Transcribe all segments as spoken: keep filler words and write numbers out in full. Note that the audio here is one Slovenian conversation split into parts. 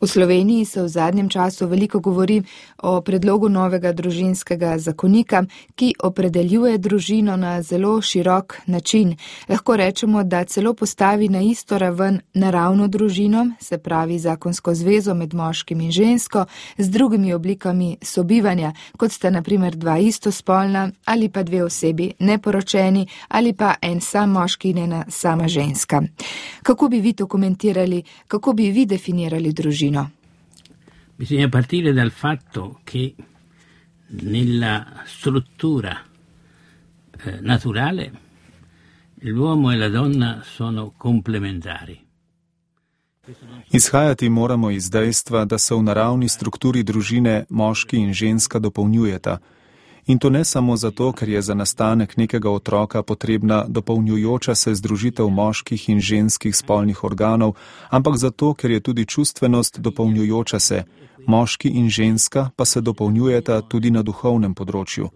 V Sloveniji se v zadnjem času veliko govori o predlogu novega družinskega zakonika, ki opredeljuje družino na zelo širok način. Lahko rečemo, da celo postavi na isto raven naravno družino, se pravi zakonsko zvezo med moškim in žensko, z drugimi oblikami sobivanja, kot sta na primer dva istospolna ali pa dve osebi neporočeni ali pa en sam moški in ena sama ženska. Kako bi vi to komentirali, kako bi vi definirali družino? Bisogna partire dal fatto che nella struttura eh, naturale l'uomo e la donna sono complementari. Izhajati moramo iz dejstva, da se v naravni strukturi družine moški in ženska dopolnjujeta. In to ne samo zato, ker je za nastanek nekega otroka potrebna dopolnjujoča se združitev moških in ženskih spolnih organov, ampak zato, ker je tudi čustvenost dopolnjujoča se, moški in ženska pa se dopolnjujeta tudi na duhovnem področju.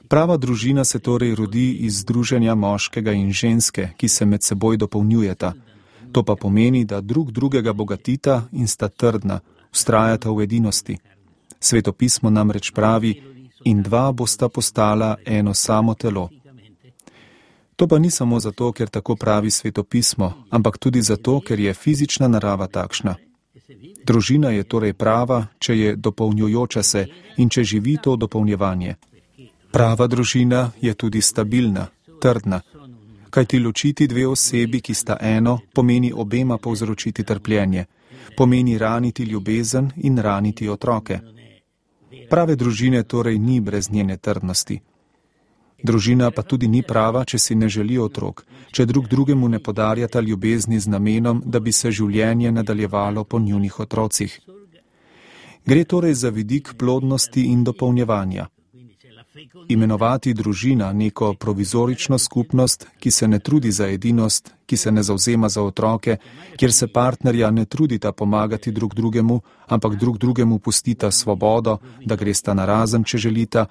Prava družina se torej rodi iz združenja moškega in ženske, ki se med seboj dopolnjujeta. To pa pomeni, da drug drugega bogatita in sta trdna, vztrajata v edinosti. Sveto pismo namreč pravi, in dva bosta postala eno samo telo. To pa ni samo zato, ker tako pravi Sveto pismo, ampak tudi zato, ker je fizična narava takšna. Družina je torej prava, če je dopolnjujoča se in če živi to dopolnjevanje. Prava družina je tudi stabilna, trdna, kajti ločiti dve osebi, ki sta eno, pomeni obema povzročiti trpljenje, pomeni raniti ljubezen in raniti otroke. Prave družine torej ni brez njene trdnosti. Družina pa tudi ni prava, če si ne želi otrok, če drug drugemu ne podarjata ljubezni z namenom, da bi se življenje nadaljevalo po njunih otrocih. Gre torej za vidik plodnosti in dopolnjevanja. Imenovati družina neko provizorično skupnost, ki se ne trudi za edinost, ki se ne zavzema za otroke, kjer se partnerja ne trudita pomagati drug drugemu, ampak drug drugemu pustita svobodo, da gresta narazen, če želita,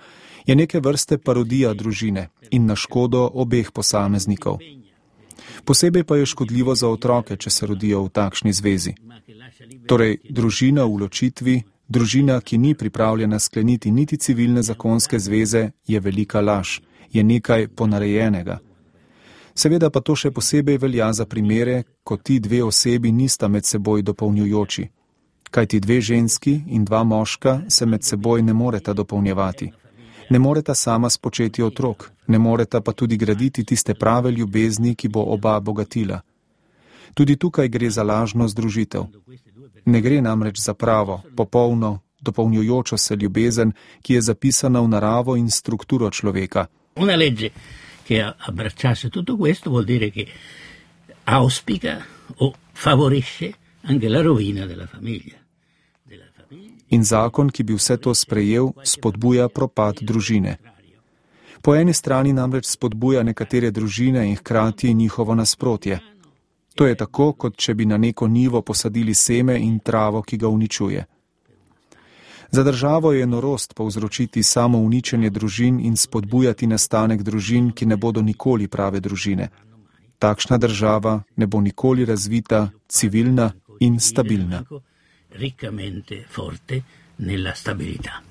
je neke vrste parodija družine in na škodo obeh posameznikov. Posebej pa je škodljivo za otroke, če se rodijo v takšni zvezi. Torej, družina v ločitvi, družina, ki ni pripravljena skleniti niti civilne zakonske zveze, je velika laž, je nekaj ponarejenega. Seveda pa to še posebej velja za primere, ko ti dve osebi nista med seboj dopolnjujoči. Kajti dve ženski in dva moška se med seboj ne moreta dopolnjevati. Ne moreta sama spočeti otrok, ne moreta pa tudi graditi tiste prave ljubezni, ki bo oba bogatila. Tudi tukaj gre za lažno združitev. Ne gre namreč za pravo, popolno, dopolnjujočo se ljubezen, ki je zapisana v naravo in strukturo človeka. Una legge che abbracciasse tutto questo vuol dire che auspica o favorisce anche la rovina della famiglia. In zakon, ki bi vse to sprejel, spodbuja propad družine. Po eni strani namreč spodbuja nekatere družine in hkrati njihovo nasprotje. To je tako, kot če bi na neko njivo posadili seme in travo, ki ga uničuje. Za državo je norost povzročiti samo uničenje družin in spodbujati nastanek družin, ki ne bodo nikoli prave družine. Takšna država ne bo nikoli razvita, civilna in stabilna. Riccamente forte nella stabilità.